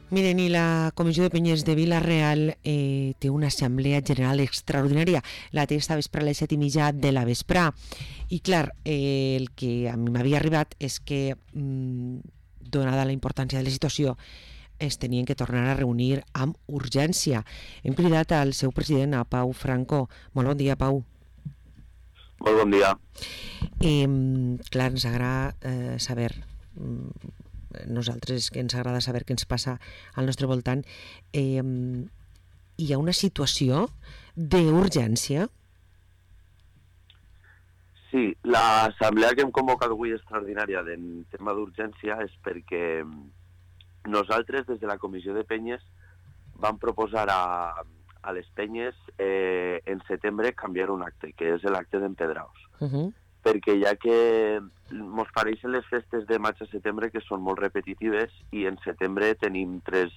Miren, i la Comissió de Penyes de Vila-real té una assemblea general extraordinària. La té esta vespre a les 7:30 de la vesprà. I clar, el que a mi m'havia arribat és que, donada la importància de la situació, es tenien que tornar a reunir amb urgència. Hem cridat al seu president, a Pau Franco. Molt bon dia, Pau. Molt bon dia. Clar, ens agrada saber... nosaltres que ens agrada saber què ens passa al nostre voltant. Hi ha una situació d'urgència? Sí, l'assemblea que hem convocat avui extraordinària del tema d'urgència és perquè nosaltres des de la Comissió de Penyes vam proposar a les penyes en setembre canviar un acte, que és l'acte d'Empedraos. Perquè ja que ens pareixen les festes de maig a setembre que són molt repetitives i en setembre tenim tres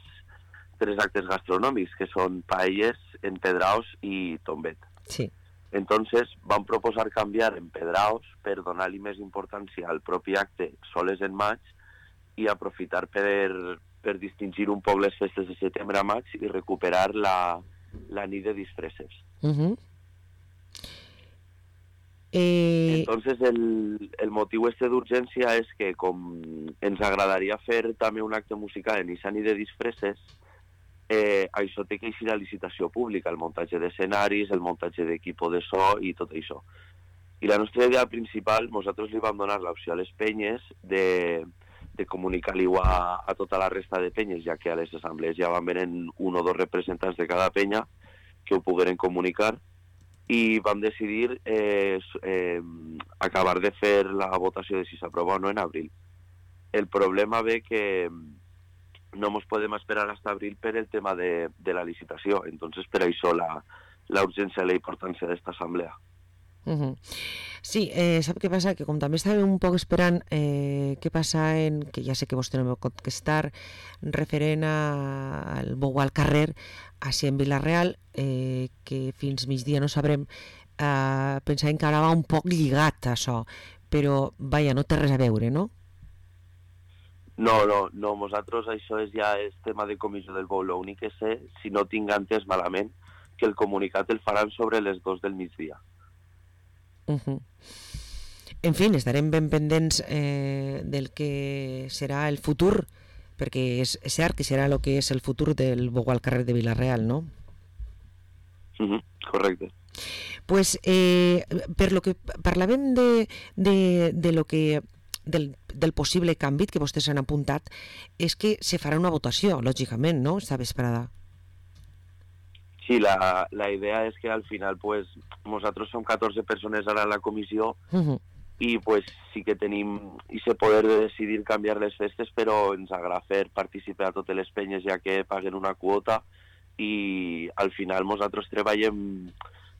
actes gastronòmics, que són paelles, empedraos i tombet. Sí. Entonces vam proposar canviar empedraos per donar-li més importància al propi acte soles en maig i aprofitar per distingir un poc les festes de setembre a maig i recuperar la nit de disfresses. Entonces el motiu d'urgència és que com ens agradaria fer també un acte musical en aquesta nit de disfresses, això té que eixir a licitació pública, el muntatge d'escenaris, el muntatge d'equip de so i tot això. I la nostra idea principal, nosaltres li vam donar l'opció a les penyes de comunicar-li a tota la resta de penyes, ja que a les assemblees ja van venir un o dos representants de cada penya que ho pogueren comunicar, i vam decidir acabar de fer la votació de si s'aprova o no en abril. El problema ve que no ens podem esperar fins a abril per el tema de la licitació, entonces per això la urgència i la importància d'esta assemblea. Sí, sap què passa? Que com també estàvem un poc esperant què passa que ja sé que vostè no m'ho pot contestar, referent al bou al carrer, així en Vila-real, que fins migdia no sabrem, pensàvem que ara va un poc lligat això, però vaja, no té res a veure, no? No, nosaltres això ja és tema de comissió del bou. L'únic que sé, si no tinc entès malament, que el comunicat el faran sobre les 2 del migdia. En fi, estarem ben pendents del que serà el futur, perquè és cert que serà el que és el futur del bou al carrer de Vila-real, no? Correcte. Pues per lo que parlàvem de lo que del possible canvi que vostès han apuntat, és que se farà una votació, lògicament, no?, esta vesprada. Sí, la idea és que al final pues nosaltres som 14 persones ara a la comissió i pues sí que tenim ese poder de decidir canviar les festes, però ens agrada fer participar a totes les penyes ja que paguen una quota i al final nosaltres treballem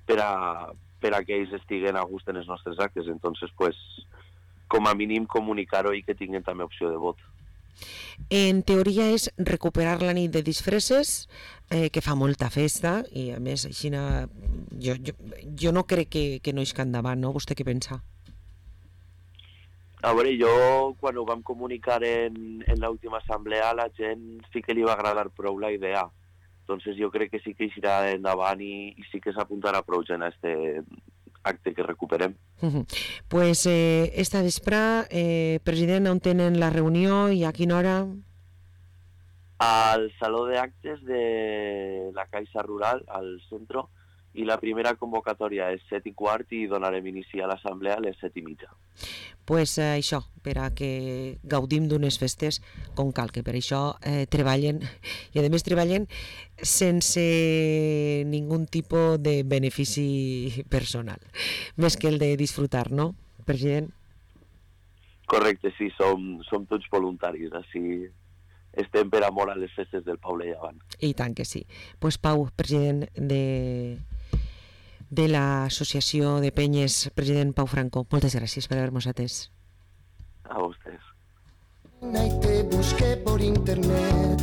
per a que ells estiguen a gust en els nostres actes, entonces pues com a mínim comunicar-ho i que tinguin també opció de vot. En teoria és recuperar la nit de disfresses, que fa molta festa i a més així jo no crec que no isca endavant, no? Vostè què pensa? A veure, jo quan ho vam comunicar en l'última assemblea a la gent sí que li va agradar prou la idea, entonces jo crec que sí que eixirà endavant i sí que s'apuntarà prou gent a este acte que recuperem. Pues esta vesprà, president, on tenen la reunió i a quina hora? Al Saló d'Actes de la Caixa Rural, al centre, i la primera convocatòria és 7:15 i donarem inici a l'assemblea a les 7:30. Pues això, per a que gaudim d'unes festes com cal, que per això treballen, i a més treballen sense ningun tipus de benefici personal, més que el de disfrutar, no, president? Correcte, sí, som tots voluntaris, així estem per amor a les festes del poble i avant. I tant que sí. Pues Pau, president de l'Associació de Penyes, president Pau Franco, moltes gràcies per haver-nos atès. A vostès. Y te busqué por internet